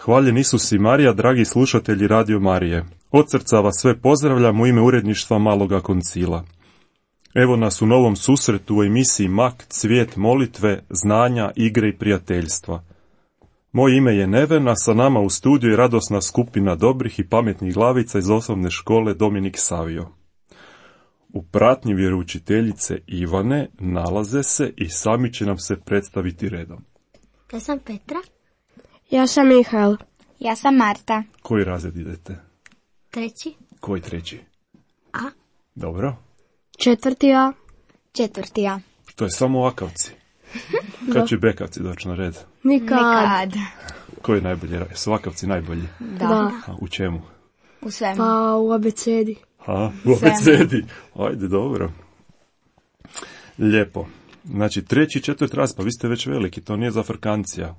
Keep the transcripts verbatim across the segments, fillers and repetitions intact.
Hvaljen Isus i Marija, dragi slušatelji Radio Marije. Od srca vas sve pozdravljam u ime uredništva Maloga koncila. Evo nas u novom susretu u emisiji Mak, cvijet molitve, znanja, igre i prijateljstva. Moje ime je Neven, a sa nama u studiju je radosna skupina dobrih i pametnih glavica iz osnovne škole Dominik Savio. U pratnji vjeroučiteljice Ivane nalaze se i sami će nam se predstaviti redom. Ja sam Petra. Ja sam Mihael. Ja sam Marta. Koji razred idete? Treći. Koji treći? A. Dobro. Četvrti A. Četvrti A. To je samo akavci. Kad će bekavci doći na red? Nikad. Nikad. Koji je najbolji? Su akavci najbolji? Da. Da. A, u čemu? U svemu. Pa u abecedi. Ha, u abecedi. Ajde, dobro. Lijepo. Znači, treći i četvrti raz, pa vi ste već veliki, to nije za frkancija.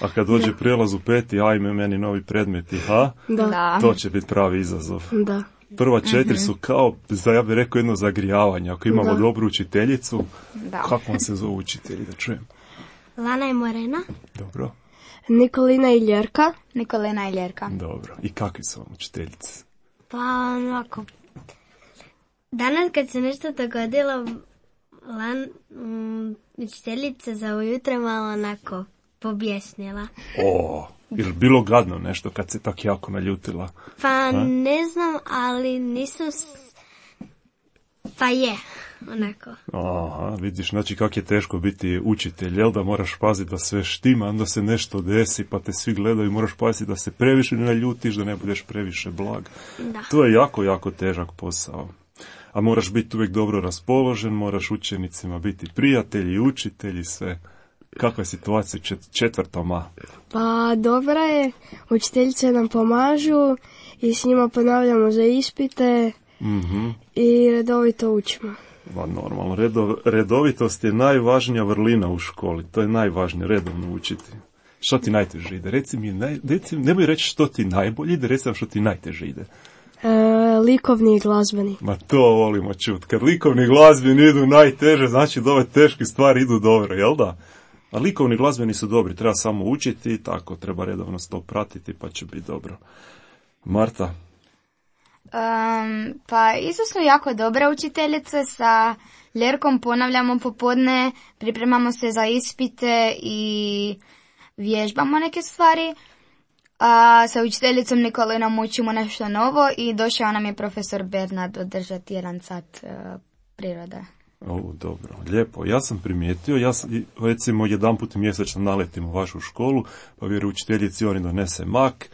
A kad dođe da. prijelaz u peti, ajme meni novi predmeti, ha? Da. Da. To će biti pravi izazov. Da. Prva četiri su kao, ja bih rekao, jedno zagrijavanje. Ako imamo Da. dobru učiteljicu, Da. kako vam se zove učitelji, da čujem? Lana i Morena. Dobro, Nikolina i Ljerka. Nikolina i Ljerka. dobro. I kakvi su vam učiteljice? Pa onako. Danas kad se nešto dogodilo, Lan, um, učiteljica za ujutro malo onako pobjesnila. O, jer bilo gadno nešto kad se tak jako naljutila? Pa A? ne znam, ali nisam... S... Pa je, onako. Aha, vidiš, znači kak je teško biti učitelj, jel da moraš paziti da sve štima, onda se nešto desi, pa te svi gledaju, moraš paziti da se previše ne naljutiš, da ne budeš previše blag. Da. To je jako, jako težak posao. A moraš biti uvijek dobro raspoložen, moraš učenicima biti prijatelji, učitelji, sve. Kakva je situacija čet- četvrtom A? Pa dobra je, učiteljice nam pomažu i s njima ponavljamo za ispite Mhm. i redovito učimo. Ma normalno, Redo, redovitost je najvažnija vrlina u školi, to je najvažnije, redovno učiti. Što ti najteže ide? Reci mi, naj, reci, nemoj reći što ti najbolje ide, reci nam što ti najteže ide. E, likovni i glazbeni. Ma to volimo čut. Kad likovni i glazbeni idu najteže, znači da ove teške stvari idu dobro, jel da? A likovni i glazbeni su dobri, treba samo učiti, tako treba redovno to pratiti, pa će biti dobro. Marta? Um, pa isto su jako dobre učiteljice, sa Ljerkom ponavljamo popodne, pripremamo se za ispite i vježbamo neke stvari. A sa učiteljicom Nikolinom učimo nešto novo i došao nam je profesor Bernard održati jedan sat uh, prirode. O, dobro, lijepo. Ja sam primijetio, ja sam, recimo, jedan put mjesečno naletim u vašu školu, pa vjeroučiteljici oni donese mak,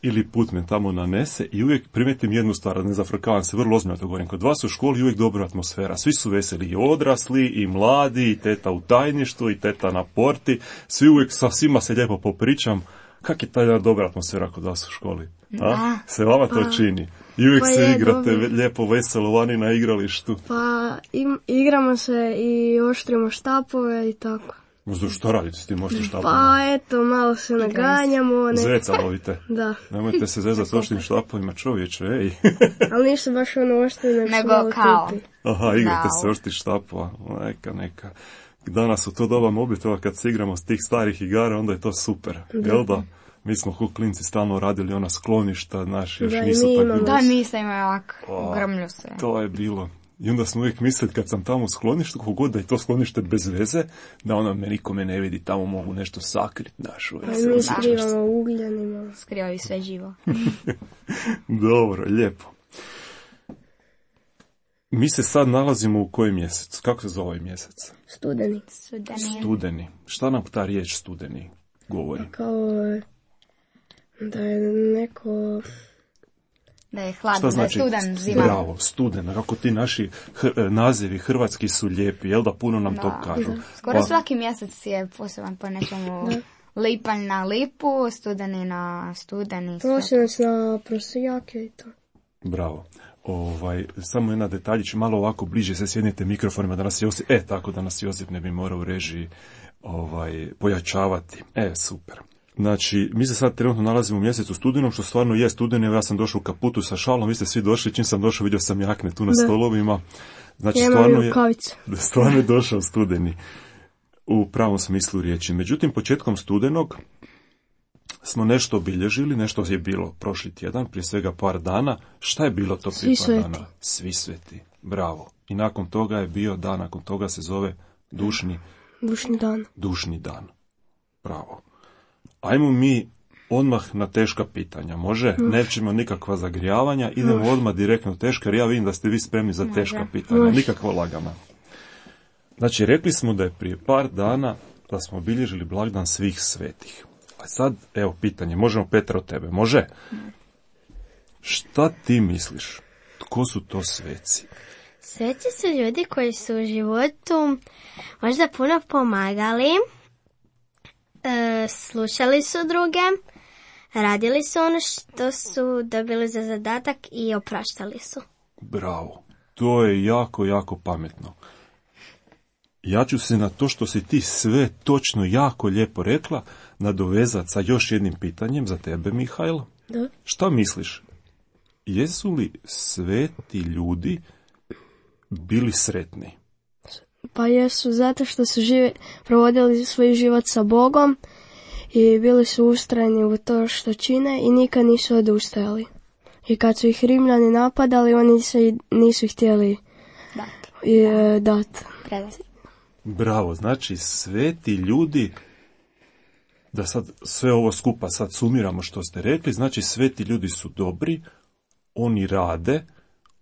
ili put me tamo nanese i uvijek primijetim jednu stvar, ne zafrkavam se, vrlo ozbiljno to govorim. Kod vas u školi je uvijek dobra atmosfera, svi su veseli, i odrasli, i mladi, i teta u tajništvu, i teta na porti, svi uvijek sa svima se lijepo popričam. Kak je ta jedna dobra atmosfera kod vas u školi? A? Se vama to čini? I uvijek Pa se je, igrate dobro. lijepo, veselo vani na igralištu. Pa im, igramo se i oštrimo štapove i tako. Možda što radite s tim oštrim štapom? Pa eto, malo se naganjamo. Ne... Zeca lovite. Da, Nemojte se zezati s oštrim štapovima, čovječe, ej. ali ništa baš ono oštri, nego, Nego su malo kao. tupi. Aha, igrate Da. se oštrih štapova. Neka, neka. Danas u to doba mobitela kad se igramo s tih starih igara, onda je to super. Da. Jel da? Mi smo ko klinci stalno radili ona skloništa, naši još Da, i nisu mi tako imamo. bili. Da, mi se imaju ovako, O, grmlju se. To je bilo. I onda smo uvijek mislili kad sam tamo u skloništu, kogod da je to sklonište bez veze, da ona me nikome ne vidi, tamo mogu nešto sakriti našu. Pa mi skrivamo ugljanima. Skrivaju sve živo. Dobro, lijepo. Mi se sad nalazimo u kojem mjesecu? Kako se zove ovaj mjesec? Studeni. Studeni. Studeni. Šta nam ta riječ studeni govori? Kao da je neko... Da je Šta hladno, da je znači? studan, zima. Bravo, studen. Kako ti naši hr- nazivi hrvatski su lijepi, jel da puno nam Da. to kažu? Skoro Pa, svaki mjesec je poseban po nečemu. Lipanj na lipu, studeni na studeni. sve. Prosinac na prosijake i to. bravo. Ovaj, samo jedna detaljić, malo ovako bliže se sjednite mikrofonima da nas Josip, e, tako da nas Josip ne bi morao u režiji ovaj, pojačavati. E, super. Znači, mi se sad trenutno nalazimo u mjesecu studenom, što stvarno je studeni, evo ja sam došao u kaputu sa šalom, vi ste svi došli, čim sam došao vidio sam jakne tu na Da. stolovima. Znači, Ja imam stvarno i je, rukavice. stvarno je došao studeni u pravom smislu riječi. Međutim, početkom studenog smo nešto obilježili, nešto je bilo prošli tjedan, prije svega par dana. Šta je bilo to prije Svi par sveti. dana? Svi sveti. Bravo. I nakon toga je bio dan, nakon toga se zove dušni, Dušni dan. dušni dan. Bravo. Ajmo mi odmah na teška pitanja, može? Nećemo nikakva zagrijavanja, idemo odmah direktno teška, jer ja vidim da ste vi spremni za teška pitanja, Može. nikakva lagana. Znači, rekli smo da je prije par dana da smo obilježili blagdan svih svetih. A sad, evo pitanje, možemo Petra od tebe, može? Šta ti misliš? Tko su to sveci? Sveci su ljudi koji su u životu možda puno pomagali, e, slušali su druge, radili su ono što su dobili za zadatak i opraštali su. Bravo. To je jako, jako pametno. Ja ću se na to što si ti sve točno jako lijepo rekla nadovezati sa još jednim pitanjem za tebe, Mihajlo. Da. Šta misliš? Jesu li sveti ljudi bili sretni? Pa jesu, zato što su žive, provodili svoj život sa Bogom i bili su ustrajni u to što čine i nikad nisu odustajali. I kad su ih Rimljani napadali, oni se nisu htjeli Da. i, e, dati. Predati. Bravo, znači sveti ljudi, da sad sve ovo skupa sad sumiramo što ste rekli, znači sveti ljudi su dobri, oni rade,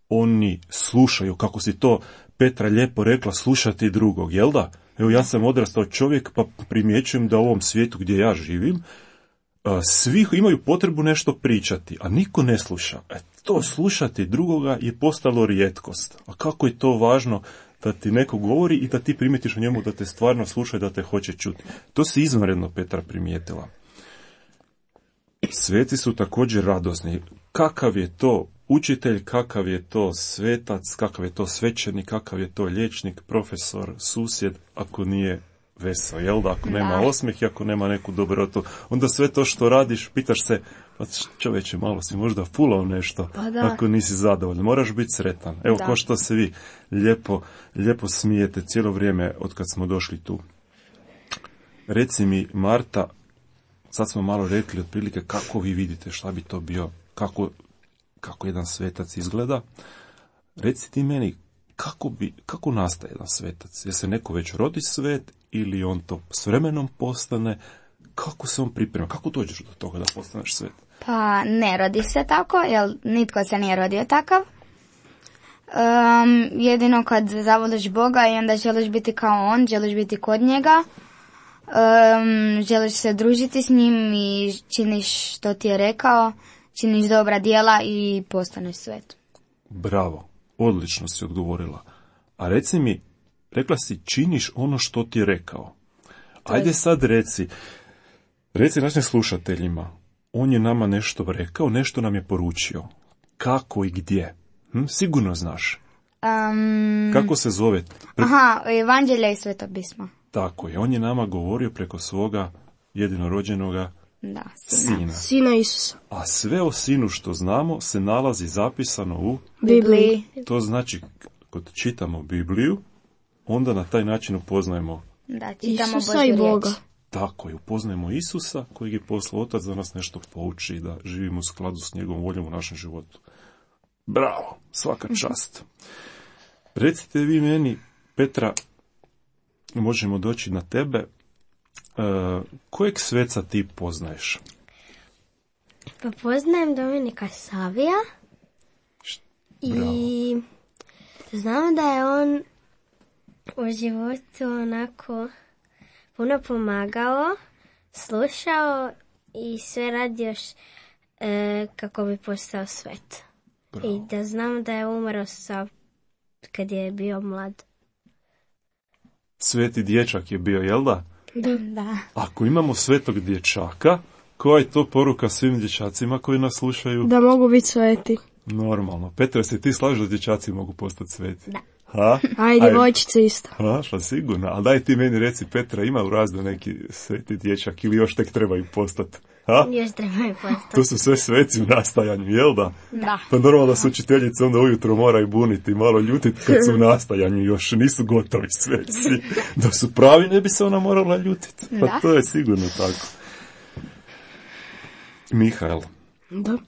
oni slušaju, kako si to Petra lijepo rekla, slušati drugog, jel da? Evo ja sam odrastao čovjek pa primjećujem da u ovom svijetu gdje ja živim, a, svi imaju potrebu nešto pričati, a niko ne sluša. E, to slušati drugoga je postalo rijetkost. A kako je to važno da ti neko govori i da ti primijetiš u njemu da te stvarno sluša i da te hoće čuti. To si izvanredno Petra primijetila. Sveci su također radosni. Kakav je to učitelj, kakav je to svetac, kakav je to svećenik, kakav je to liječnik, profesor, susjed, ako nije veseo, jel da? Ako nema osmijeh i ako nema neku dobrotu, onda sve to što radiš, pitaš se, pa čovječe, malo si možda fulao nešto, Pa da. ako nisi zadovoljan. Moraš biti sretan. Evo, Da. ko što se vi lijepo, lijepo smijete cijelo vrijeme od kad smo došli tu. Reci mi, Marta, sad smo malo rekli otprilike kako vi vidite šta bi to bio, kako, kako jedan svetac izgleda. Reci ti meni, kako, bi, kako nastaje jedan svetac? Je se neko već rodi svet ili on to s vremenom postane? Kako se on priprema? Kako dođeš do toga da postaneš svet? Pa ne rodi se tako, jer nitko se nije rodio takav. Um, jedino kad zavoliš Boga i onda želiš biti kao on, želiš biti kod njega, um, želiš se družiti s njim i činiš što ti je rekao, činiš dobra djela i postaneš svet. Bravo, odlično si odgovorila. A reci mi, rekla si činiš ono što ti je rekao. Ajde sad reci, reci našim slušateljima, on je nama nešto rekao, nešto nam je poručio. Kako i gdje? Hm? Sigurno znaš. Um, Kako se zove? Pre- aha, evanđelje i sveto pismo. Tako je, on je nama govorio preko svoga jedinorođenoga Da, sina. sina. Sina Isusa. A sve o sinu što znamo se nalazi zapisano u... Bibliji. To znači, kad čitamo Bibliju, onda na taj način upoznajemo, Da, čitamo Isusa Božju i Boga. riječ. tako je, upoznajemo Isusa kojeg je poslao Otac da nas nešto pouči, da živimo u skladu s njegovom voljom u našem životu. Bravo, svaka čast. Recite vi meni, Petra, možemo doći na tebe, e, kojeg sveca ti poznaješ? Pa poznajem Dominika Savija i znam da je on u životu onako puno pomagao, slušao i sve radio š- e, kako bi postao svet. I da znam da je umro sa, kad je bio mlad. Sveti dječak je bio, jel da? Da. Ako imamo svetog dječaka, koja je to poruka svim dječacima koji nas slušaju? Da mogu biti sveti. Normalno. Petra, se ti slažeš da dječaci mogu postati sveti? Da. Ha? A i djevojčice isto. Ha, pa sigurno. Ali daj ti meni reci, Petra, ima u razdu neki sveti dječak ili još tek trebaju postati? Ha? Još trebaju postati. To su sve sveci u nastajanju, jel da? Da. Pa normalno da su učiteljice onda ujutro moraju buniti, malo ljutiti kad su u nastajanju, još nisu gotovi sveci. Da su pravi, ne bi se ona morala ljutiti. Pa Da. to je sigurno tako. Mihael, Da.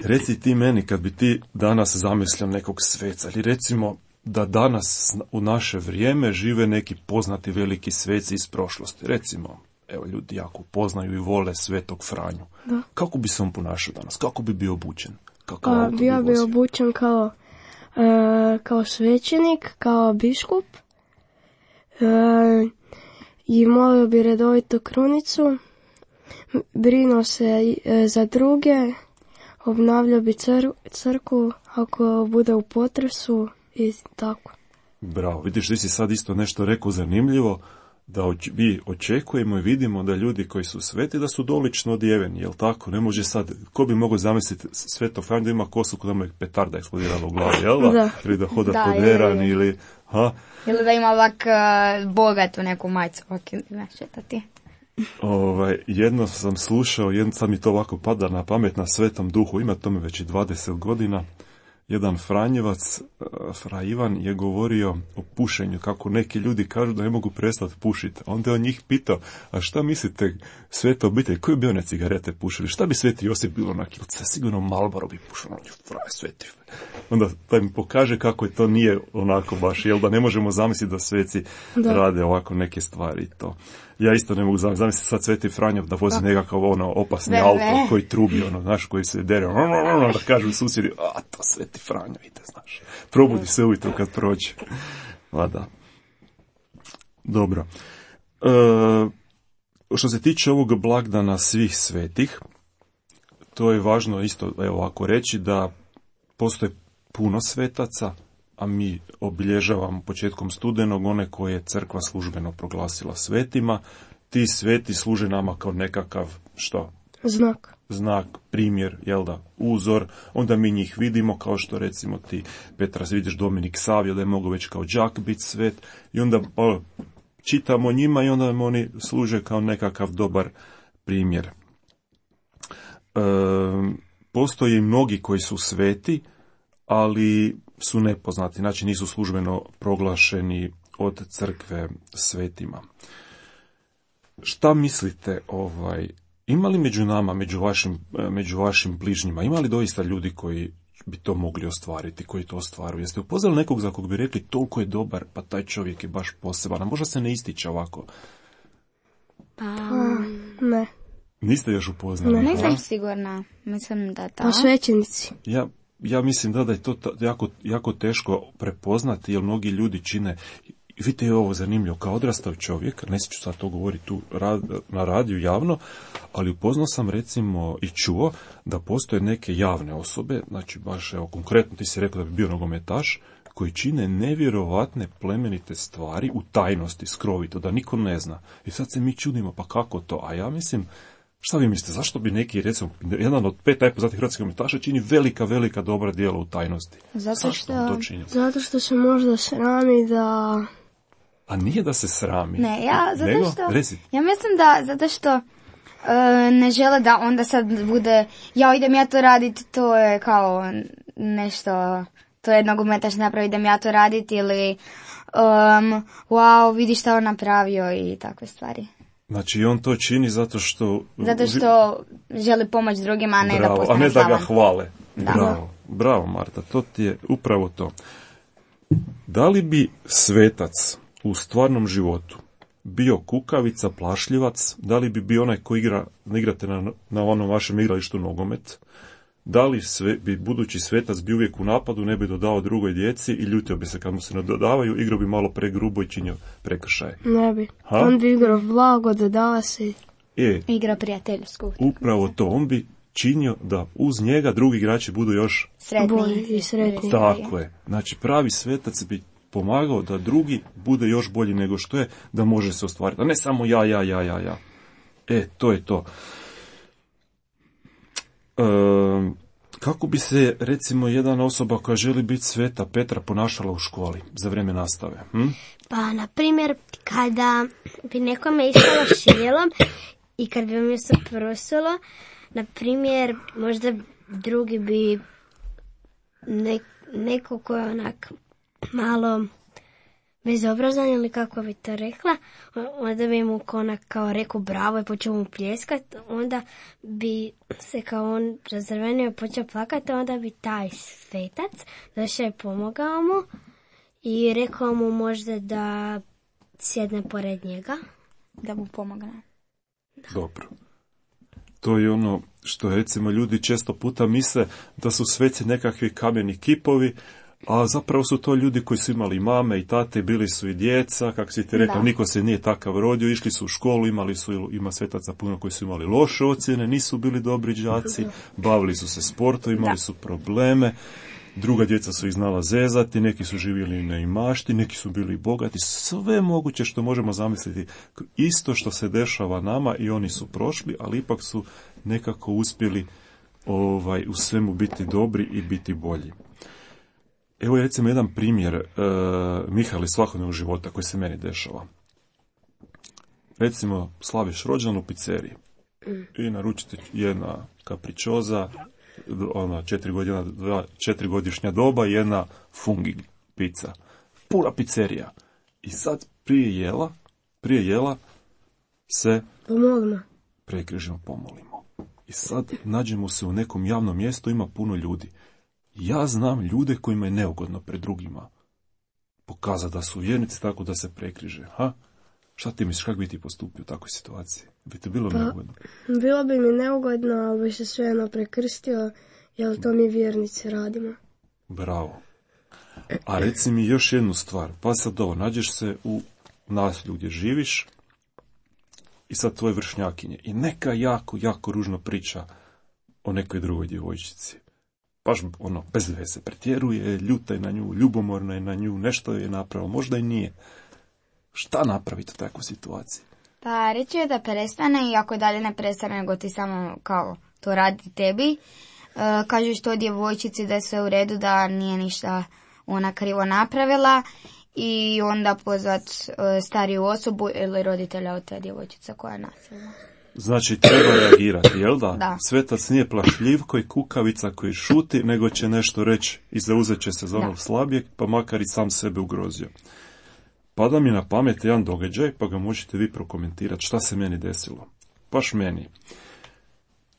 reci ti meni kad bi ti danas zamislio nekog sveca, ili recimo da danas u naše vrijeme žive neki poznati veliki sveci iz prošlosti. Recimo, evo, ljudi jako poznaju i vole Svetog Franju. Da. Kako bi se on ponašao danas? Kako bi bio obučen? Kakav A, auto bio bi vozio? obučen kao, e, kao svećenik, kao biskup. E, I molio bi redovito krunicu. Brinuo se e, za druge. Obnavljao bi cr- crkvu ako bude u potresu i tako. Bravo, vidiš, ti si sad isto nešto rekao zanimljivo, da oč- mi očekujemo i vidimo da ljudi koji su sveti da su dolično odjeveni, jel tako? Ne može sad, ko bi mogao zamisliti Sveto Franju da ima kosu kod mu je petarda eksplodirala u glavi, jel da? Da. Ili da hoda Da, poderan, ili- ili, ha? Ili da ima ovak uh, bogatu neku majicu, ovak ili ne šetati. Ovaj, jedno sam slušao, jedno, sad mi to ovako pada na pamet, na Svetom Duhu, ima tome već i dvadeset godina, jedan Franjevac, uh, Fra Ivan, je govorio o pušenju, kako neki ljudi kažu da ne mogu prestati pušiti. Onda je on njih pitao, a šta mislite, Sveta obitelj, koji bi one cigarete pušili? Šta bi Sveti Josip bilo na kilce? Sigurno Marlboro bi pušao. Fraj, Sveti. Onda taj mi pokaže kako je to nije onako baš, jel da ne možemo zamisliti da sveci Da. rade ovako neke stvari i to. Ja isto ne mogu zamisliti, zamisliti sad Sveti Franjo da vozi nekakav ono opasni Ne, auto ne. koji trubi, ono, znaš, koji se dere, da kažu susjedi, a to Sveti Franjo ide, znaš. Probudi se ujutro kad prođe. Pa da. Dobro. E, što se tiče ovog blagdana svih svetih, to je važno isto, evo ovako reći, da postoje puno svetaca, a mi obilježavamo početkom studenog one koje je crkva službeno proglasila svetima. Ti sveti služe nama kao nekakav, što? Znak. Znak, primjer, jel da, uzor, onda mi njih vidimo, kao što recimo ti, Petra, vidiš Dominik Savio, da je mogao već kao đak biti svet, i onda o, čitamo njima i onda nam oni služe kao nekakav dobar primjer. E, postoje i mnogi koji su sveti, ali su nepoznati, znači nisu službeno proglašeni od crkve svetima. Šta mislite, ovaj, ima li među nama, među vašim, među vašim bližnjima, ima li doista ljudi koji bi to mogli ostvariti, koji to ostvaruju? Jeste upoznali nekog za kog bi rekli toliko je dobar, pa taj čovjek je baš poseban, a možda se ne ističe ovako? Pa, Ne. Niste još upoznali? Ne. Nisam a? sigurna, mislim da da. A svećenici. Ja, ja mislim da, da je to ta- jako, jako teško prepoznati, jer mnogi ljudi čine. Vidite, je ovo zanimljivo, kao odrastao čovjek, ne ću sad to govoriti tu rad, na radiju javno, ali upoznao sam recimo i čuo da postoje neke javne osobe, znači baš evo konkretno ti si rekao da bi bio nogometaš, koji čine nevjerovatne plemenite stvari u tajnosti, skrovito, da niko ne zna. I sad se mi čudimo, pa kako to? A ja mislim, šta vi mislite, zašto bi neki, recimo, jedan od pet najpoznatijih hrvatskih nogometaša čini velika, velika dobra djela u tajnosti? Zato Zašto što- on to čini? Zato što se možda srami da... A nije da se srami. Ne, ja, zato Nego, što... reci. Ja mislim da, zato što e, ne žele da onda sad bude, ja idem ja to raditi, to je kao nešto, to je nogometaš napravi, idem ja to raditi, ili um, wow, vidi šta on napravio i takve stvari. Znači, on to čini zato što... Zato što želi pomoć drugima, a ne Bravo, da a postane ne da ga slavan. hvale. Da. Bravo, bravo Marta, to ti je upravo to. Da li bi svetac u stvarnom životu bio kukavica, plašljivac, da li bi bio onaj koji igra, igrate na, na onom vašem igralištu nogomet, da li sve, bi budući svetac bi uvijek u napadu, ne bi dodao drugoj djeci i ljutio bi se kad mu se ne dodavaju, igrao bi malo pregrubo i činio prekršaje. Ne bi. Ha? On bi igrao blago, dodava se. E, Igra prijateljsku. upravo to, on bi činio da uz njega drugi igrači budu još Sretni. Bolji i sretni. tako je. Znači, pravi svetac bi pomagao da drugi bude još bolji nego što je, da može se ostvariti. A ne samo ja, ja, ja, ja, ja. E, to je to. E, kako bi se, recimo, jedna osoba koja želi biti sveta Petra ponašala u školi za vrijeme nastave? Hm? pa na primjer, kada bi nekome išalo šiljelom i kad bi mi se prosulo, na primjer, možda drugi bi ne, neko ko je onak malo bezobrazan ili kako bi to rekla, onda bi mu onak kao rekao bravo i počeo mu pljeskat, onda bi se kao on razrvenio i počeo plakati, onda bi taj svetac došao i pomogao mu i rekao mu možda da sjedne pored njega. Da mu pomogne. Dobro. To je ono što recimo ljudi često puta misle da su sveci nekakvi kameni kipovi, a zapravo su to ljudi koji su imali mame i tate, bili su i djeca, kako si ti rekao, da. Niko se nije takav rodio, išli su u školu, imali su, ima svetaca puno koji su imali loše ocjene, nisu bili dobri đaci, bavili su se sportom, imali da. su probleme, druga djeca su ih znala zezati, neki su živjeli na imašti, neki su bili bogati, sve moguće što možemo zamisliti. Isto što se dešava nama i oni su prošli, ali ipak su nekako uspjeli ovaj, u svemu biti dobri i biti bolji. Evo je recimo jedan primjer uh, Mihajla iz svakodnevnog života koji se meni dešava. Recimo, slaviš rođendan u pizzeriji i naručite jedna kapričoza, ona četiri, godina, dva, četiri godišnja doba i jedna fungi pizza. Pura pizzerija. I sad prije jela, prije jela se pomolimo. Prekrižimo, pomolimo. I sad nađemo se u nekom javnom mjestu, ima puno ljudi. Ja znam ljude kojima je neugodno pred drugima pokazati da su vjernici tako da se prekriže. Ha? Šta ti misliš, kako bi ti postupio u takvoj situaciji? Bi ti bilo pa, neugodno? Bilo bi mi neugodno, ali bi se svejedno prekrstio, jer to mi vjernici radimo. Bravo. A reci mi još jednu stvar. Pa sad ovo, nađeš se u naselju gdje živiš i sad tvoje vršnjakinje. I neka jako, jako ružno priča o nekoj drugoj djevojčici. Baš ono, bez veze, pretjeruje, ljuta je na nju, ljubomorna je na nju, nešto je napravila, možda i nije. Šta napraviti u takvoj situaciji? Pa reći je da prestane i ako dalje ne prestane, nego ti samo kao to radi tebi, uh, kažeš to djevojčici da je sve u redu, da nije ništa ona krivo napravila i onda pozvat uh, stariju osobu ili roditelja od te djevojčice koja je nasilna. Znači, treba reagirati, jel da? Da. Svetac nije plašljivko i kukavica koji šuti, nego će nešto reći i zauzet će se za onog slabijeg, pa makar i sam sebe ugrozio. Pada mi na pamet jedan događaj, pa ga možete vi prokomentirati šta se meni desilo. Baš meni.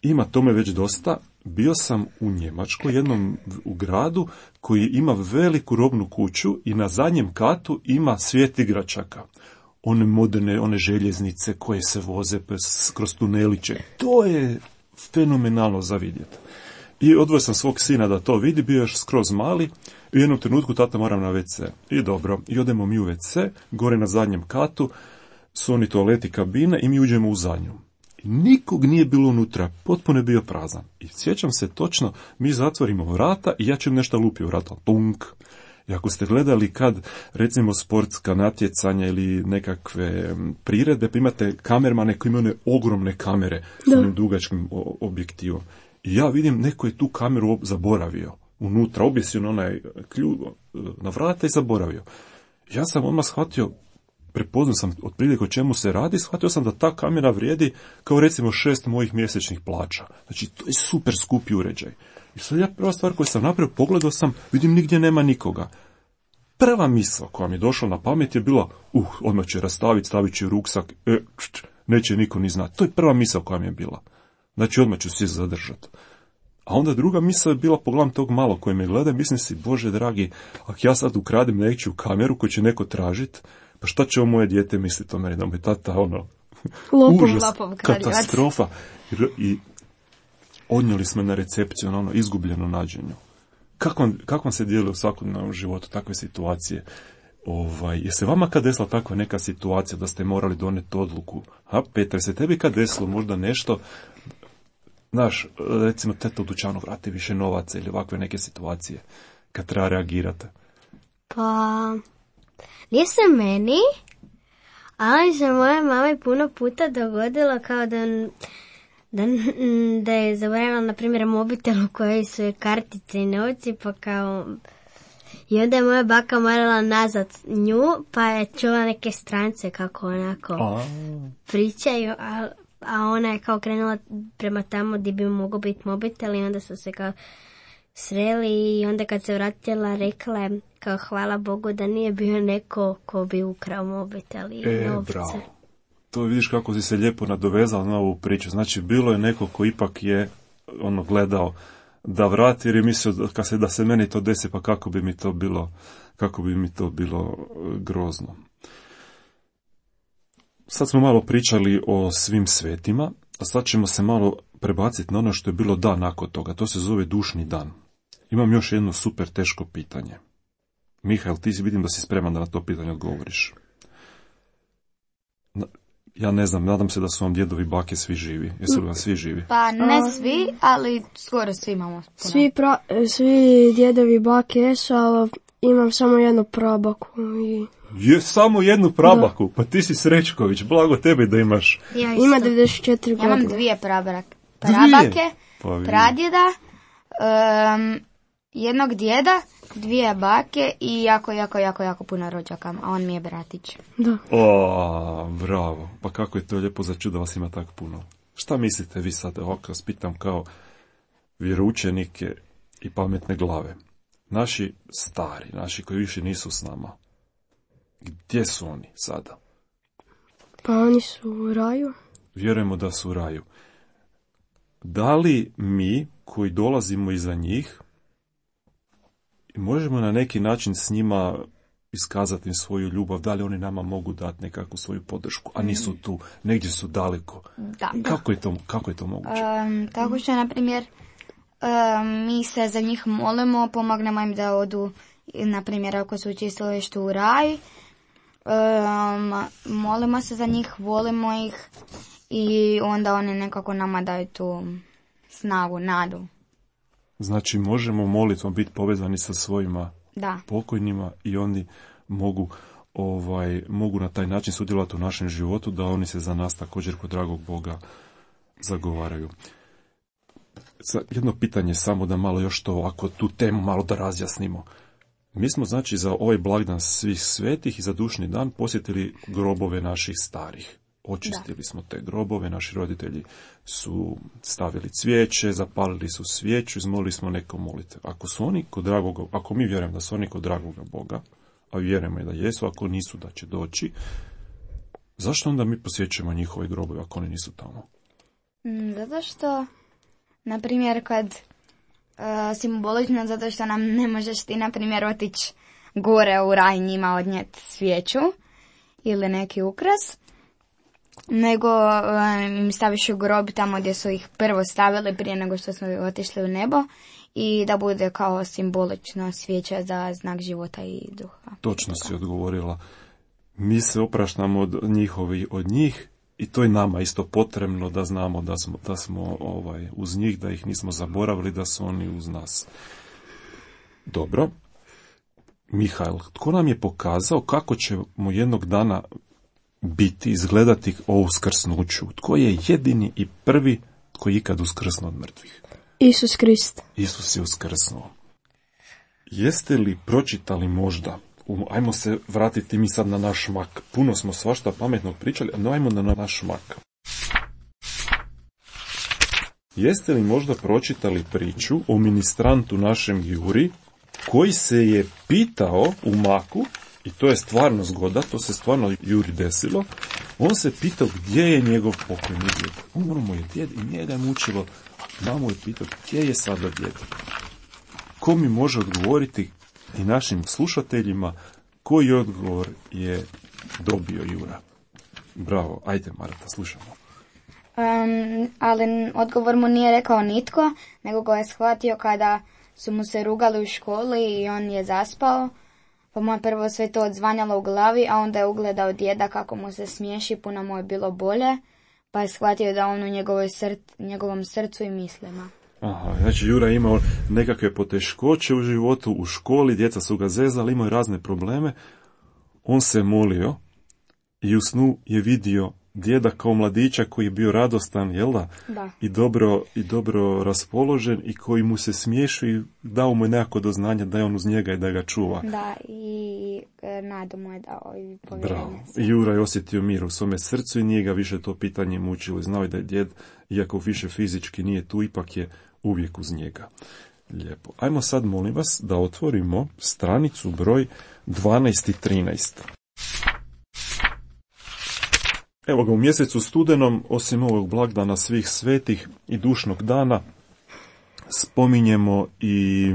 Ima tome već dosta. Bio sam u Njemačkoj, jednom u gradu koji ima veliku robnu kuću i na zadnjem katu ima svijet igračaka. One moderne, one željeznice koje se voze kroz tuneliće. To je fenomenalno za vidjeti. I odvojio sam svog sina da to vidi, bio još skroz mali. U jednom trenutku tata moram na ve ce. I dobro, i odemo mi u ve ce, gore na zadnjem katu, su oni toaleti kabine i mi uđemo u zadnju. I nikog nije bilo unutra, potpuno je bio prazan. I sjećam se točno, mi zatvorimo vrata i ja ćem nešto lupi u vrata. Punk. I ako ste gledali kad, recimo, sportska natjecanja ili nekakve priredbe, pa imate kamermane koji imaju one ogromne kamere s onim dugačkim objektivom. I ja vidim, neko je tu kameru zaboravio. Unutra, objesio na onaj ključ na vrata i zaboravio. Ja sam odmah shvatio, prepoznao sam otprilike o čemu se radi, shvatio sam da ta kamera vrijedi kao recimo šest mojih mjesečnih plaća. Znači, to je super skupi uređaj. I sad ja prva stvar koju sam napravio, pogledao sam, vidim nigdje nema nikoga. Prva misla koja mi je došla na pamet je bila, uh, odmah će rastaviti, stavit će ruksak, e, čč, neće niko ni znati. To je prva misla koja mi je bila. Znači, odmah ću se zadržati. A onda druga misla je bila, pogledam tog malo koji me gleda, mislim si, Bože dragi, ako ja sad ukradem nečiju kameru koju će neko tražiti, pa šta će ovo moje dijete misliti o meni, da mu je tata ono, Lopov, užas, katastrofa. I, i odnijeli smo na recepciju, ono, izgubljeno nađenju. Kako vam, kako vam se dijeli u svakodnevnom životu takve situacije? Ovaj, je se vama kad desila takva neka situacija da ste morali doneti odluku? Ha, Petar, se tebi kad desilo možda nešto, znaš, recimo teta u dućanu vrati više novaca ili ovakve neke situacije kad treba reagirati? Pa, nije se meni, ali se moja mama puno puta dogodila kao da, da, da je zaboravila, na primjer, mobitel u kojoj su je kartice i novci, pa kao... I onda je moja baka morala nazad nju, pa je čula neke strance kako onako a. pričaju, a, a ona je kao krenula prema tamo gdje bi mogao biti mobitel i onda su se kao sreli i onda kad se vratila rekla je kao hvala Bogu da nije bio neko ko bi ukrao mobitel i E, novce. bravo. To vidiš kako si se lijepo nadovezala na ovu priču. Znači, bilo je neko ko ipak je ono gledao da vrati, jer je mislio da, kad se, da se meni to desi, pa kako bi mi to bilo, kako bi mi to bilo grozno. Sad smo malo pričali o svim svetima, a sad ćemo se malo prebaciti na ono što je bilo dan nakon toga. To se zove dušni dan. Imam još jedno super teško pitanje. Mihael, ti si, vidim da si spreman da na to pitanje odgovoriš. Na, ja ne znam, nadam se da su vam djedovi bake svi živi. Jesu li vam svi živi? Pa ne svi, ali skoro svi imamo. Puno. Svi, pra, svi djedovi bake jesu, ali imam samo jednu prabaku. I... Je samo jednu prabaku, da. Pa ti si Srećković, blago tebi da imaš. Ja ima devedeset četiri ja godine. imam dvije prabake. Prabake, pa pradjeda, um, jednog djeda, dvije bake i jako, jako, jako, jako puno rođaka, a on mi je bratić. Da. O, bravo, pa kako je to lijepo za čudo, vas ima tako puno. Šta mislite vi sad, ovako vas pitam kao vjeroučenike i pametne glave. Naši stari, naši koji više nisu s nama, gdje su oni sada? Pa oni su u raju. Vjerujemo da su u raju. Da li mi, koji dolazimo iza njih, možemo na neki način s njima iskazati im svoju ljubav, da li oni nama mogu dati nekakvu svoju podršku, a nisu tu, negdje su daleko. Da. Kako je to, kako je to moguće? Um, tako što, na primjer, um, mi se za njih molimo, pomognemo im da odu, na primjer, ako su u čistilištu u raj, um, molimo se za njih, volimo ih i onda oni nekako nama daju tu snagu, nadu. Znači, možemo molitvom biti povezani sa svojima Da. pokojnima i oni mogu, ovaj, mogu na taj način sudjelovati u našem životu, da oni se za nas također kod dragog Boga zagovaraju. Sad, jedno pitanje samo da malo još to ovako tu temu malo da razjasnimo. Mi smo znači za ovaj blagdan svih svetih i za dušni dan posjetili grobove naših starih. Očistili da. smo te grobove, naši roditelji su stavili cvijeće, zapalili su svijeću, izmolili smo neko molitve. Ako su oni kod dragog, ako mi vjerujemo da su oni kod dragoga Boga, a vjerujemo i da jesu, ako nisu da će doći, zašto onda mi posjećujemo njihove grobove ako oni nisu tamo? Zato što, na primjer, kad uh, simbolično, zato što nam ne možeš ti, na primjer, otići gore u raj njima odnijeti svijeću ili neki ukras, nego im um, staviš u grob tamo gdje su ih prvo stavili prije nego što smo otišli u nebo i da bude kao simbolično svijeća za znak života i duha. Točno si odgovorila. Mi se opraštamo od njihovi, od njih i to je nama isto potrebno da znamo da smo, da smo ovaj, uz njih, da ih nismo zaboravili, da su oni uz nas. Dobro. Mihael, tko nam je pokazao kako ćemo jednog dana biti, izgledati o uskrsnuću? Tko je jedini i prvi tko je ikad uskrsnuo od mrtvih? Isus Krist. Isus je uskrsnuo. Jeste li pročitali možda, ajmo se vratiti mi sad na naš mak, puno smo svašta pametnog pričali, no ajmo na naš mak. Jeste li možda pročitali priču o ministrantu našem Juri, koji se je pitao u maku, i to je stvarno zgoda, to se stvarno Juri desilo, on se pitao gdje je njegov pokojni djed. Umro mu je djed i njega je mučilo, mamu je pitao gdje je sada djed. Ko mi može odgovoriti i našim slušateljima koji odgovor je dobio Jura? Bravo, ajde Marta, slušamo. Um, ali odgovor mu nije rekao nitko, nego ga je shvatio kada su mu se rugali u školi i on je zaspao. Pa mu je prvo sve to odzvanjalo u glavi, a onda je ugledao djeda kako mu se smiješi, puno mu je bilo bolje, pa je shvatio da on u njegovoj src, njegovom srcu i mislima. Aha, znači Jura je imao nekakve poteškoće u životu, u školi, djeca su ga zezali, imao je razne probleme. On se molio i u snu je vidio djeda kao mladića koji je bio radostan, jel da? Da. I dobro, i dobro raspoložen i koji mu se smiješi i dao mu je nekako do znanja da je on uz njega i da ga čuva. Da, i nadu mu je dao i povjerenje. Bravo. I Jura je osjetio mir u svome srcu i nije ga više to pitanje mučilo. Znao je da je djed, iako više fizički nije tu, ipak je uvijek uz njega. Lijepo. Ajmo sad, molim vas, da otvorimo stranicu broj dvanaest i trinaest. Evo ga, u mjesecu studenom, osim ovog blagdana svih svetih i dušnog dana, spominjemo i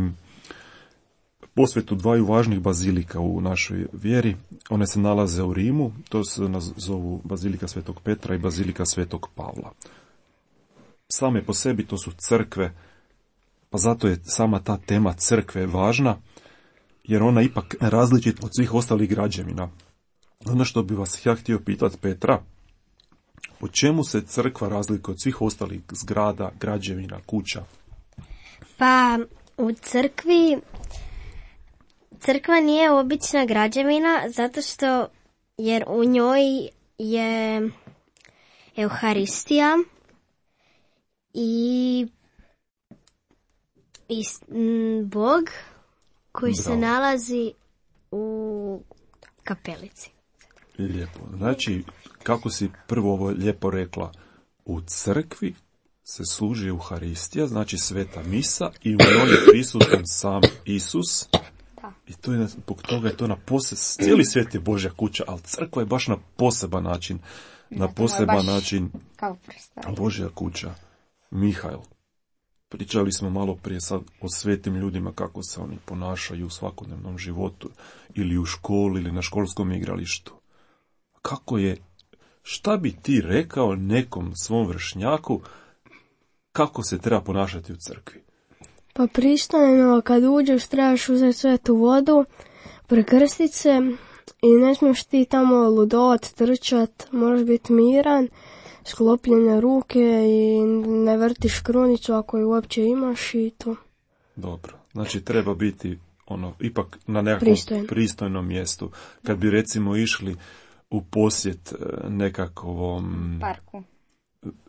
posvetu dvaju važnih bazilika u našoj vjeri. One se nalaze u Rimu, to se zovu bazilika Svetog Petra i bazilika Svetog Pavla. Same po sebi to su crkve, pa zato je sama ta tema crkve važna, jer ona ipak različita od svih ostalih građevina. Ono što bi vas ja htio pitati, Petra, po čemu se crkva razlikuje od svih ostalih zgrada, građevina, kuća? Pa u crkvi, crkva nije obična građevina zato što, jer u njoj je Euharistija i, i m, Bog koji Bravo. se nalazi u kapelici. Lijepo. Znači, kako si prvo ovo lijepo rekla, u crkvi se služi Euharistija, znači sveta misa, i u njoj je prisutan sam Isus. Da. I to je, zbog toga je to na posebno, cijeli svijet je Božja kuća, ali crkva je baš na poseban način, na to je poseban baš način Kao predstavlja. Božja kuća. Mihael, pričali smo malo prije sad o svetim ljudima, kako se oni ponašaju u svakodnevnom životu, ili u školi, ili na školskom igralištu. Kako je, šta bi ti rekao nekom svom vršnjaku, kako se treba ponašati u crkvi? Pa pristojno, kad uđeš trebaš uzeti svetu vodu, prekrstit se i ne smiješ ti tamo ludovat, trčat, moraš biti miran, sklopljene ruke i ne vrtiš krunicu ako je uopće imaš i to. Dobro, znači treba biti ono ipak na nekakvom Pristojno. pristojnom mjestu. Kad bi recimo išli u posjet e, nekakvom, Parku.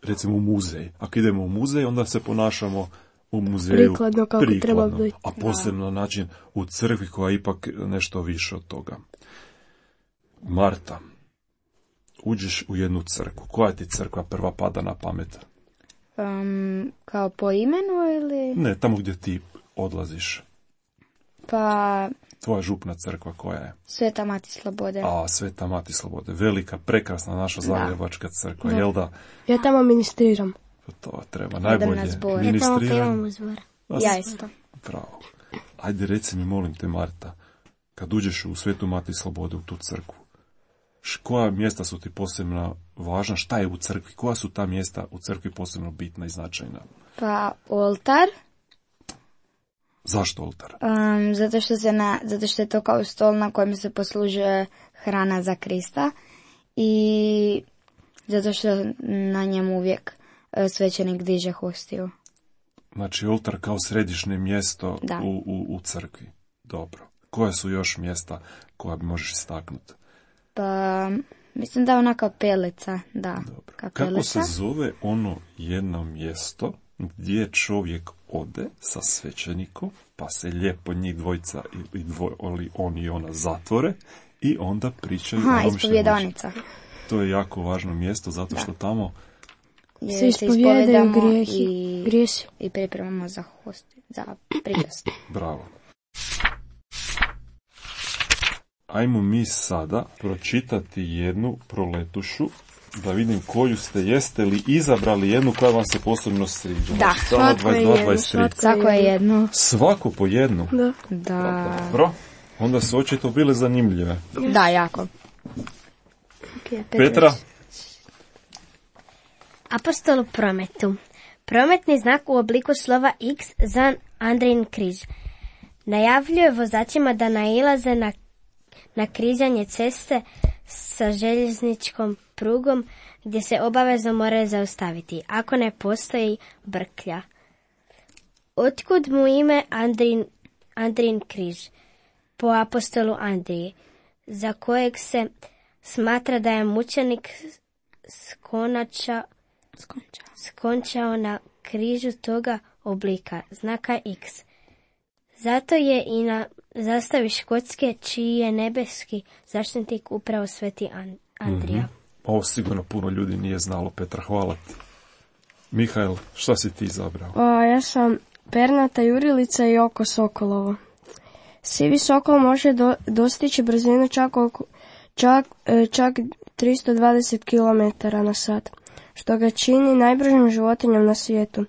recimo u muzej. Ako idemo u muzej, onda se ponašamo u muzeju Prikladno kako treba biti. a posebno način u crkvi koja je ipak nešto više od toga. Marta, uđeš u jednu crkvu. Koja ti crkva prva pada na pamet? Um, kao po imenu ili? Ne, tamo gdje ti odlaziš. Pa Tvoja župna crkva koja je? Sveta Mati Slobode. A, Sveta Mati Slobode. Velika, prekrasna naša zagrebačka crkva. Jel da? Ja tamo ministriram. To treba Idem najbolje. na zbor. Ja tamo Ministriram. pevam zbor. A, Ja isto. Bravo. Ajde, reci mi, molim te, Marta, kad uđeš u Svetu Mati Slobode, u tu crkvu, š- koja mjesta su ti posebno važna? Šta je u crkvi? Koja su ta mjesta u crkvi posebno bitna i značajna? Pa oltar. Zašto oltar? Um, zato, što se na, zato što je to kao stol na kojem se poslužuje hrana za Krista i zato što na njemu uvijek e, svećenik diže hostiju. Znači, oltar kao središnje mjesto Da. u, u, u crkvi. Dobro. Koja su još mjesta koja bi možeš istaknuti? Pa mislim da je ona kapelica, da. Dobro. Kapelica. Kako se zove ono jedno mjesto gdje čovjek ode sa svećenikom, pa se lijepo njih dvojica i dvoj, ali on i ona zatvore i onda pričaju o Aha, onome što ispovjedanica. može. To je jako važno mjesto zato što tamo Jer Se se ispovjedaju ispovedamo grijehi, i, grijesi. i pripremamo za hosti, za pričast. bravo. Ajmo mi sada pročitati jednu proletušu da vidim koju ste, jeste li izabrali jednu koja vam se posebno sviđa. Da, Znači, strana svatko je dvadeset dva jedno, dvadeset tri. svatko. Svako je jedno. Svaku po jednu. Da. Da, Dobro. Onda su očito bile zanimljive. da jako. Petra? Apostol u prometu. Prometni znak u obliku slova X za Andrijin križ. Najavljuje vozačima da nailaze na, na križanje ceste sa željezničkom prugom gdje se obavezno moraju zaustaviti, ako ne postoji brklja. Otkud mu ime Andrijin, Andrijin križ? Po apostolu Andriji, za kojeg se smatra da je mučenik skonača Skonča. skončao na križu toga oblika, znaka X. Zato je i na zastavi Škotske, čiji je nebeski zaštitnik upravo sveti An- Andrija. Mhm. Ovo sigurno puno ljudi nije znalo, Petra, hvala ti. Mihael, šta si ti izabrao? A, ja sam pernata jurilica i oko sokolovo. Sivi sokol može do, dostići brzinu čak, oko, čak, čak tristo dvadeset kilometara na sat, što ga čini najbržim životinjom na svijetu.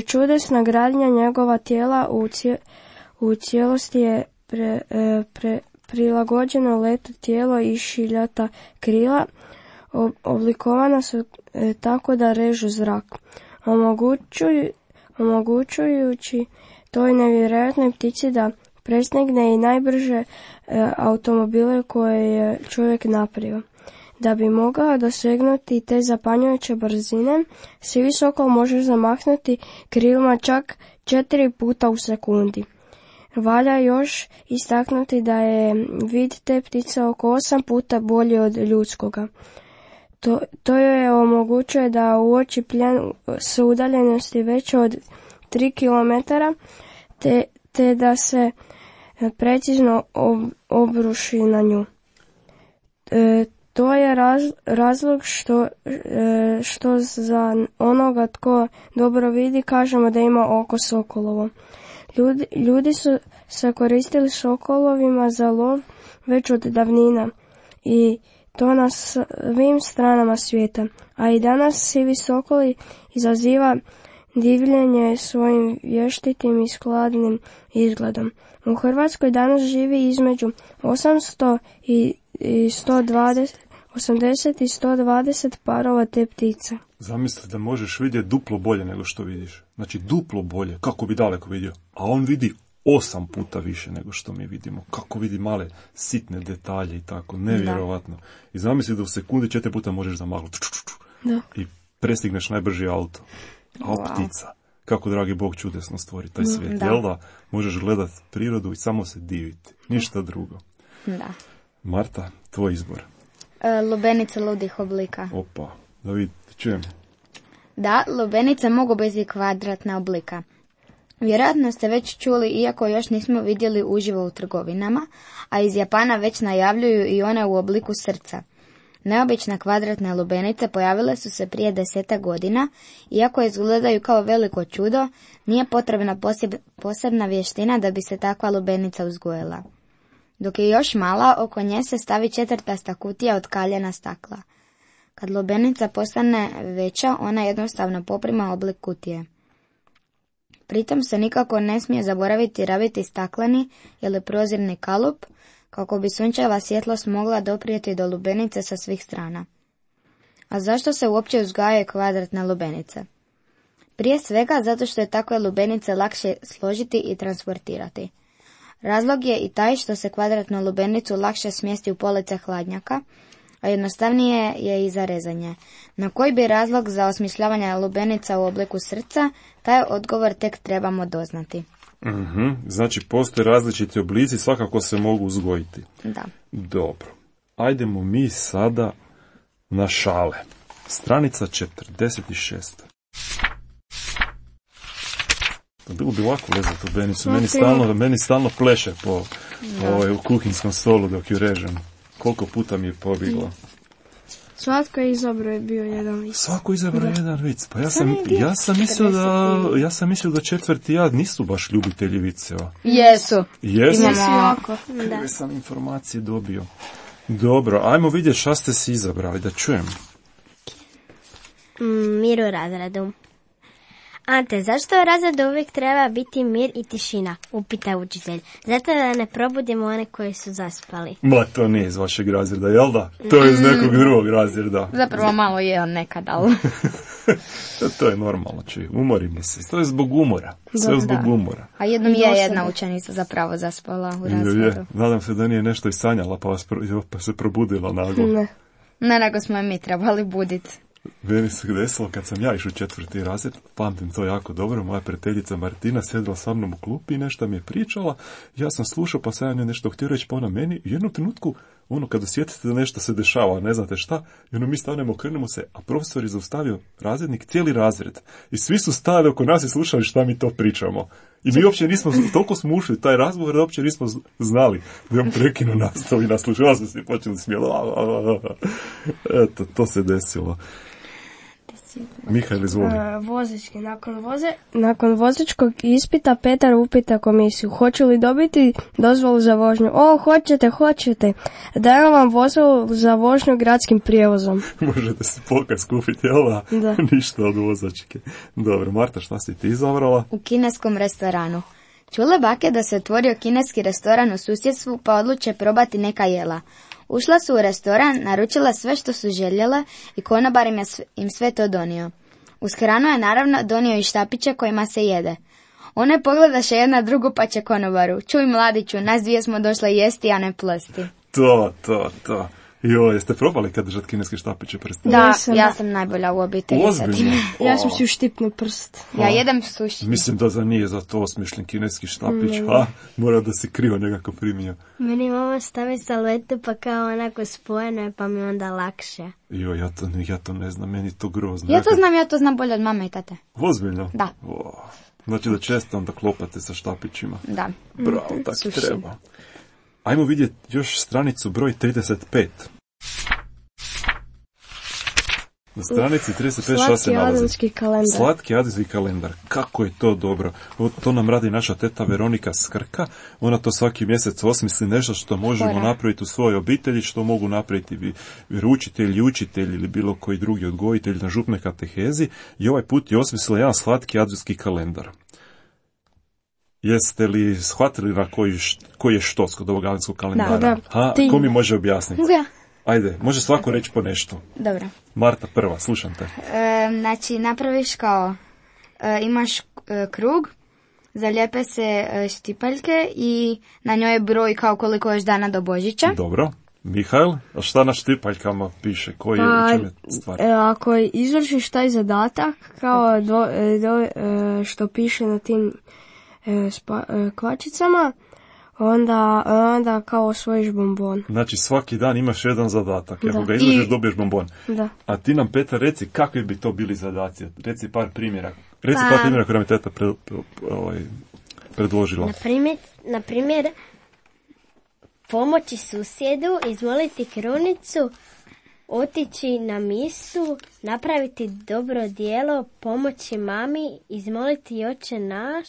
Čudesna gradnja njegova tijela u, cije, u cijelosti je pre, pre, prilagođeno letu tijelo i šiljata krila, oblikovana su e, tako da režu zrak, omogućuju, omogućujući toj nevjerojatnoj ptici da prestigne i najbrže e, automobile koje je čovjek napravio. Da bi mogao dosegnuti te zapanjujuće brzine, sivi sokol može zamahnuti krilima čak četiri puta u sekundi. Valja još istaknuti da je vid te ptice oko osam puta bolji od ljudskoga. To, to je omogućuje da uoči plijen s udaljenosti veće od tri kilometra, te, te da se precizno ob, obruši na nju. E, to je raz, razlog što, e, što za onoga tko dobro vidi kažemo da ima oko sokolovo. Ljudi, ljudi su se koristili sokolovima za lov već od davnina i to na svim stranama svijeta, a i danas sivi sokoli izaziva divljenje svojim vještitim i skladnim izgledom. U Hrvatskoj danas živi između osamsto i sto dvadeset, osamdeset i sto dvadeset parova te ptice. Zamisli da možeš vidjeti duplo bolje nego što vidiš. Znači duplo bolje, kako bi daleko vidio. A on vidi osam puta više nego što mi vidimo. Kako vidi male sitne detalje i tako, nevjerovatno. Da. I zamisli da u sekundi četiri puta možeš zamagnuti. Da. I prestigneš najbrži auto. A wow. Ptica. Kako dragi Bog čudesno stvori taj svijet. Da. Jel da? Možeš gledati prirodu i samo se diviti. Ništa drugo. Da. Marta, tvoj izbor. E, lubenice ludih oblika. Opa, da vidite, čujem. Da, lubenice mogu biti kvadratna oblika. Vjerojatno ste već čuli, iako još nismo vidjeli uživo u trgovinama, a iz Japana već najavljuju i one u obliku srca. Neobične kvadratne lubenice pojavile su se prije desetak godina, iako izgledaju kao veliko čudo, nije potrebna poseb, posebna vještina da bi se takva lubenica uzgojila. Dok je još mala, oko nje se stavi četvrtasta kutija od kaljena stakla. Kad lubenica postane veća, ona jednostavno poprima oblik kutije. Pritom se nikako ne smije zaboraviti rabiti stakleni ili prozirni kalup, kako bi sunčeva svjetlost mogla doprijeti do lubenice sa svih strana. A zašto se uopće uzgajaju kvadratne lubenice? Prije svega zato što je takve lubenice lakše složiti i transportirati. Razlog je i taj što se kvadratnu lubenicu lakše smjesti u police hladnjaka, a jednostavnije je i za rezanje. Na koji bi razlog za osmišljavanje lubenica u obliku srca, taj odgovor tek trebamo doznati. Mm-hmm. Znači, postoje različiti oblici, svakako se mogu uzgojiti. Da. Dobro. Ajdemo mi sada na šale. Stranica četrdeset šest. Bilo bi lako lezati u benicu. Meni stalno, meni stalno pleše po, po ovaj, u kuhinskom stolu dok ju režem. Koliko puta mi je pobjeglo. Svatko je izabrao bio jedan vic. Svako je izabrao jedan vic. Pa ja sam, ja sam mislio da ja sam mislio da četvrti ja nisu baš ljubitelji viceva. Jesu. Jesu. Jako. Kakve sam informacije dobio. Dobro, ajmo vidjeti šta ste si izabrali, da čujem. Mm, mir u razredu. Ante, zašto u razredu uvijek treba biti mir i tišina? Upita učitelj. Zato da ne probudimo one koji su zaspali. Ma, to nije iz vašeg razreda, jel da? To je iz nekog drugog razreda. Zapravo malo je on nekad, ali... to, to je normalno, čuj. Umorimo se. To je zbog umora. Sve da, zbog da. umora. A jednom je jedna učenica zapravo zaspala u razredu. Je, je. Nadam se da nije nešto i sanjala, pa, vas pro, pa se probudila naglo. Ne. Ne, nego smo je mi trebali buditi. Meni se desilo kad sam ja išao u četvrti razred, pamtim to jako dobro, moja prijateljica Martina sjedila sa mnom u klupi i nešto mi je pričala, ja sam slušao pa sam ja nešto htio reći pa ona meni, u jednom trenutku, ono kada osjetite da nešto se dešava, ne znate šta, i ono mi stanemo, okrenemo se, a profesor je zaustavio razrednik, cijeli razred, i svi su stali oko nas i slušali šta mi to pričamo. I mi uopće nismo, toliko smo ušli u taj razgovor da uopće nismo znali da je on prekinuo nastavu i naslušao, ja sam se počeli smijeli. Eto, to se desilo. Mihael, izvoli. E, vozački. Nakon, voze, nakon vozačkog ispita Petar upita komisiju hoće li dobiti dozvolu za vožnju. O, hoćete, hoćete. Dajem vam dozvolu za vožnju gradskim prijevozom. Možete si pokaz kupiti, jel da? Da. Ništa od vozačke. Dobro, Marta, šta si ti izabrala? U kineskom restoranu. Čule bake da se otvorio kineski restoran u susjedstvu pa odluče probati neka jela. Ušla su u restoran, naručila sve što su željela i konobar im je im sve to donio. Uz hranu je naravno donio i štapiće kojima se jede. One pogledaše jedna drugu pa će konobaru. Čuj mladiću, nas dvije smo došle jesti, a ne plosti. To, to, to. Jo, jeste probali kad držati kineske štapiće prste? Da, Nisam. ja sam najbolja u obitelji. Ozbiljno? Ja sam si uštipnuo prst. Ja jedem suši. Mislim da za nije za to osmišljen kineski štapić. Ha, mora da si krivo nekako primio. Meni mama stavi salvetu pa kao onako spojeno je pa mi onda lakše. Jo, ja to, ja to ne znam, meni to grozno. Ja to znam, ja to znam bolje od mame i tate. Ozbiljno? Da. O, znači da često onda klopate sa štapićima. Da. Bravo, tako Suši. treba. Ajmo vidjeti još stranicu broj trideset pet. Na stranici trideset pet šta se Slatki nalazi? adventski kalendar. Slatki adventski kalendar. Kako je to dobro. O, to nam radi naša teta Veronika Skrka. Ona to svaki mjesec osmisli nešto što možemo Hora. napraviti u svojoj obitelji, što mogu napraviti vi- vjeroučitelji, učitelji ili bilo koji drugi odgojitelj na župnoj katehezi. I ovaj put je osmislila jedan slatki adventski kalendar. Jeste li shvatili na koji, št- koji je štos kod ovog adventskog kalendara? Da, da. Ha, Ti. ko mi može objasniti? Ja. Ajde, može svako reći po nešto. Dobro. Marta prva, slušam te. E, znači, napraviš kao, e, imaš e, krug, zalijepe se e, štipaljke i na njoj je broj kao koliko još dana do Božića. Dobro. Mihael, a šta na štipaljkama piše? Koji je, Pa, u čem je stvar? e, ako izvršiš taj zadatak, kao do, e, do, e, što piše na tim e, spa, e, kvačicama, onda, onda kao osvojiš bombon. Znači svaki dan imaš jedan zadatak. Ako Da. ga izvršiš, I- dobiješ bombon. Da. A ti nam, Petar, reci kakvi bi to bili zadaci. Reci par primjera. Reci Pa- par primjera koje nam je teta pre, pre, ovaj, predložila. Na primjer, na primjer, pomoći susjedu, izmoliti krunicu, otići na misu, napraviti dobro djelo, pomoći mami, izmoliti Oče naš.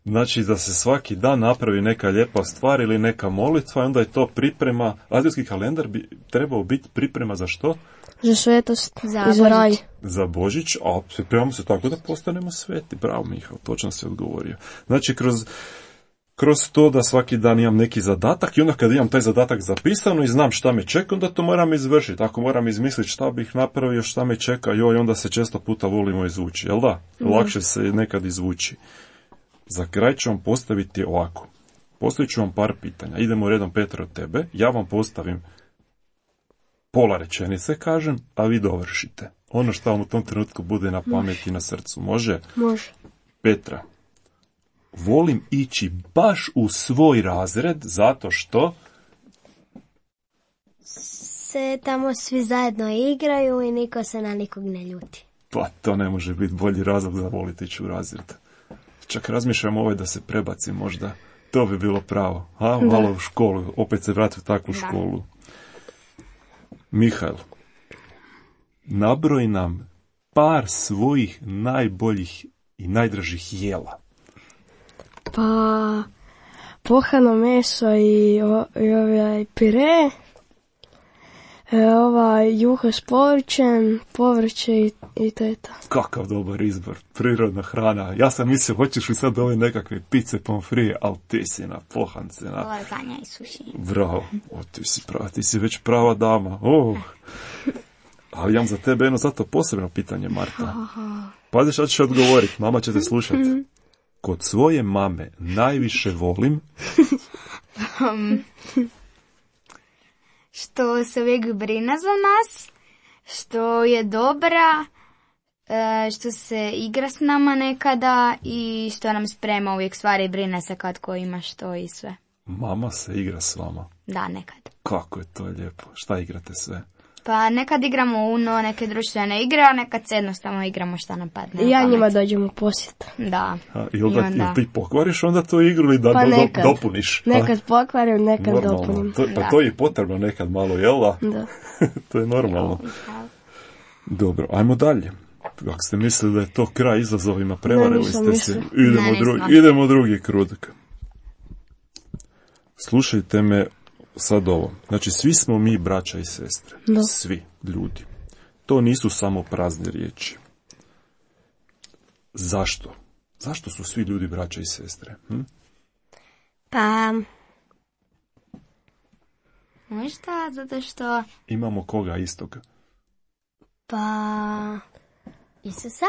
Znači da se svaki dan napravi neka lijepa stvar ili neka molitva i onda je to priprema. Adventski kalendar bi trebao biti priprema za što? Za svetost Za i za raj. Božić. Za Božić, a pripremamo se tako da postanemo sveti. Bravo, Mihael, točno si odgovorio. Znači, kroz, kroz to da svaki dan imam neki zadatak i onda kad imam taj zadatak zapisano i znam šta me čeka, onda to moram izvršiti. Ako moram izmisliti šta bih napravio, šta me čeka, joj, onda se često puta volimo izvući, jel da? Lakše se nekad izvući. Za kraj ću vam postaviti ovako. Postavit ću vam par pitanja. Idemo redom, Petar, od tebe. Ja vam postavim pola rečenice, kažem, a vi dovršite. Ono što vam u tom trenutku bude na pameti i na srcu. Može? Može. Petra, volim ići baš u svoj razred zato što... Se tamo svi zajedno igraju i niko se na nikog ne ljuti. Pa to ne može biti bolji razlog za voliti ići u razred. Čak razmišljam ovaj da se prebaci možda. To bi bilo pravo. A, malo u školu. Opet se vrati u takvu Da. školu. Mihael, nabroj nam par svojih najboljih i najdražih jela. Pa, pohano meso i, o, i ovaj pire, e, ovaj juha s povrćem, povrće i, i to je to. Kakav dobar izbor, prirodna hrana. Ja sam mislio, hoćeš li sad ove nekakve pice, pomfrije, ali ti si na pohance, na... Lazanja i suši. Bravo, o, ti si prava, ti si već prava dama. Oh. Ali imam za tebe jedno zato posebno pitanje, Marta. Pazi šta ćeš odgovoriti, mama će te slušati. Kod svoje mame najviše volim... Što se uvijek brine za nas, što je dobra, e, što se igra s nama nekada i što nam sprema uvijek stvari i brine se kad ko ima što i sve. Mama se igra s vama. Da, nekad. Kako je to lijepo. Šta igrate sve? Pa nekad igramo Uno, neke društvene igre, a nekad se jednostavno igramo šta nam padne. I na ja pamet. njima dođem u posjet. Da. A, ili, I da, onda- ili ti pokvariš onda tu igru ili da Pa do- do- nekad. dopuniš? A, Nekad pokvarim, nekad normalno. dopunim. To, pa Da. to je i potrebno nekad malo, jel da? Da. To je normalno. Dobro, ajmo dalje. Ako ste mislili da je to kraj izazovima, prevarili Ne, nisam ste mislila. se. Idemo, Ne, dru- nismo. idemo drugi krug. Slušajte me sad ovo. Znači, svi smo mi braća i sestre. Da. Svi ljudi. To nisu samo prazne riječi. Zašto? Zašto su svi ljudi braća i sestre? Hm? Pa, Možda zato što... Imamo koga istog? pa, Isusa?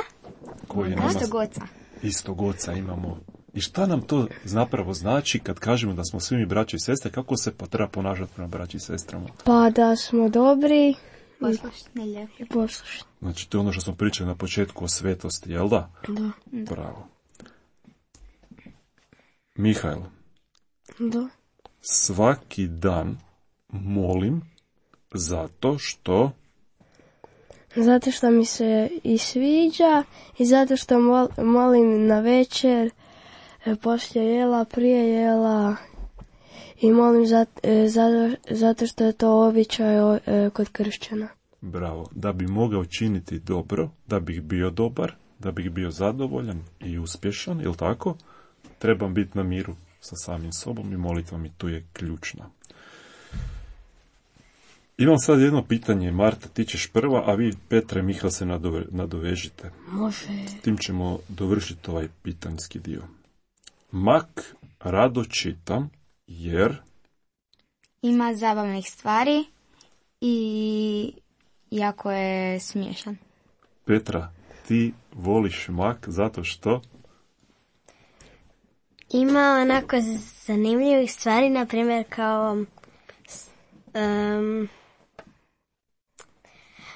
Koji nama Istog oca. istog oca imamo. I šta nam to zapravo znači kad kažemo da smo svi mi braća i sestre? Kako se pa treba ponašati prema braći i sestrama? Pa da smo dobri Poslušni, lijepi. i poslušni. Znači, to je ono što smo pričali na početku o svetosti, jel da? Da. Bravo. Mihajl, Da. svaki dan molim zato što... Zato što mi se i sviđa i zato što mol, molim na večer, e, poslije jela, prije jela i molim zat, e, zato, zato što je to običaj o, e, kod kršćana. Bravo. Da bi mogao činiti dobro, da bih bio dobar, da bih bio zadovoljan i uspješan, jel tako? Trebam biti na miru sa samim sobom i molitva mi tu je ključna. Imam sad jedno pitanje, Marta, ti ćeš prva, a vi, Petre, Mihal, se nadove, nadovežite. Može. Tim ćemo dovršiti ovaj pitanjski dio. Mak rado čitam jer... Ima zabavnih stvari i jako je smiješan. Petra, ti voliš mak zato što... Ima onako zanimljivih stvari, na primjer kao um,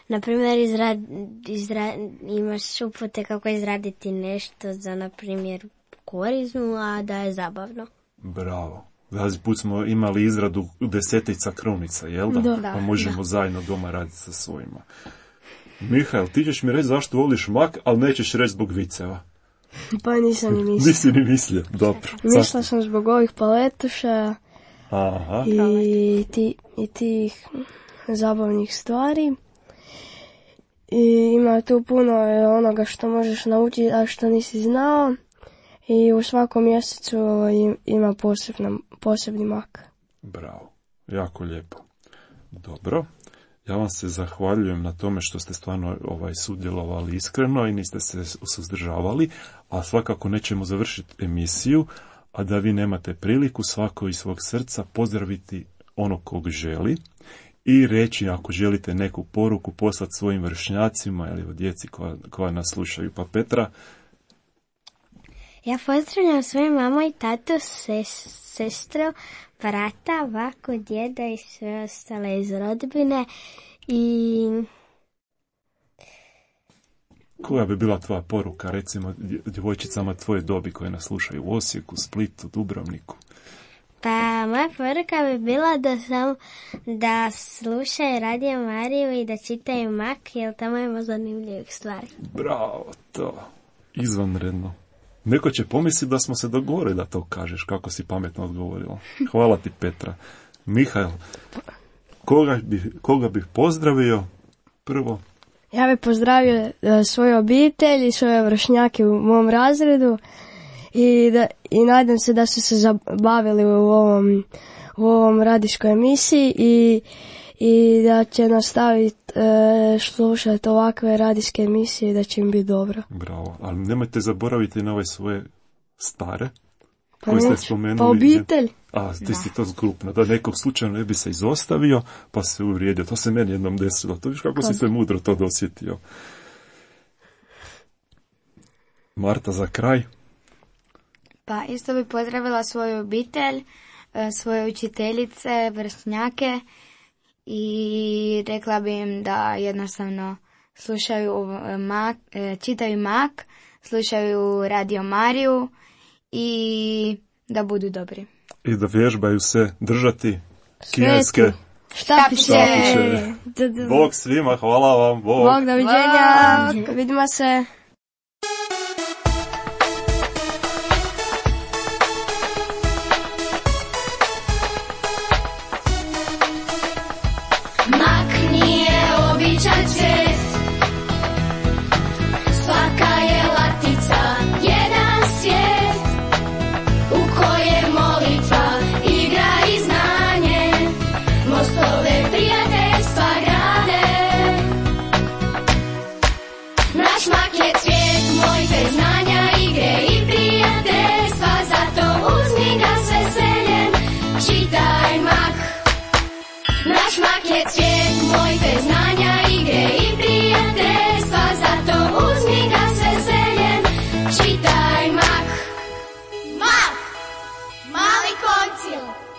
na primjer izrad, izra, imaš upute kako izraditi nešto za, na primjer, korizmu, a da je zabavno. Bravo. Zadnji put smo imali izradu desetica krunica, jel da? Da. Pa možemo zajedno doma raditi sa svojima. Mihael, ti ćeš mi reći zašto voliš mak, ali nećeš reći zbog viceva. Pa nisam ni mislila. Nisi ni mislio, dobro. Mislila sam zbog ovih paletuša Aha, i, ti, i tih zabavnih stvari. I ima tu puno onoga što možeš naučiti, a što nisi znao. I u svakom mjesecu im- ima posebna, posebni mak. bravo. Jako lijepo. Dobro. Ja vam se zahvaljujem na tome što ste stvarno ovaj, sudjelovali iskreno i niste se suzdržavali, a svakako nećemo završiti emisiju, a da vi nemate priliku svako iz svog srca pozdraviti onog kog želi i reći ako želite neku poruku poslati svojim vršnjacima ili o djeci koja, koja nas slušaju. Pa Petra, Ja pozdravljam svoju mamu i tatu, ses, sestru, brata, baku, djeda i sve ostale iz rodbine i koja bi bila tvoja poruka, recimo dje- djevojčicama tvoje dobi koje nas slušaju u Osijeku, Splitu, Dubrovniku? pa moja poruka bi bila da sam da slušaju Radio Mariju i da čitaju Mak, jer tamo ima zanimljivih stvari. Bravo, to. Izvanredno. Neko će pomisliti da smo se dogovorili da to kažeš, kako si pametno odgovorila. Hvala ti, Petra. Mihael, koga bih, koga bih pozdravio prvo? Ja bih pozdravio e, svoju obitelj i svoje vršnjake u mom razredu i, da, i nadam se da su se zabavili u ovom, u ovom radijskoj emisiji i, i da će nastaviti e, slušati ovakve radijske emisije i da će im biti dobro. Bravo, ali nemojte zaboraviti na ove svoje stare, Pa koje ste neću. spomenuli. Pa obitelj. A, ti si to zgrupno, da nekog slučajno ne bi se izostavio, pa se uvrijedio. To se meni jednom desilo. To viš kako si se mudro to dosjetio. Marta, za kraj. Pa isto bi pozdravila svoju obitelj, e, svoje učiteljice, vršnjake i rekla bi im da jednostavno slušaju e, mak, e, čitaju Mak, slušaju Radio Mariju i da budu dobri. I da vježbaju se držati kineske. Štapiće. Štapiće. D- d- Bog svima, hvala vam, Bog. Bog, doviđenja. Vidimo se. Mak nije običan cvijet, je svijet moj bez znanja, igre i prijateljstva, zato uzmi ga s veseljem, čitaj Mak. Mak, mali koncil.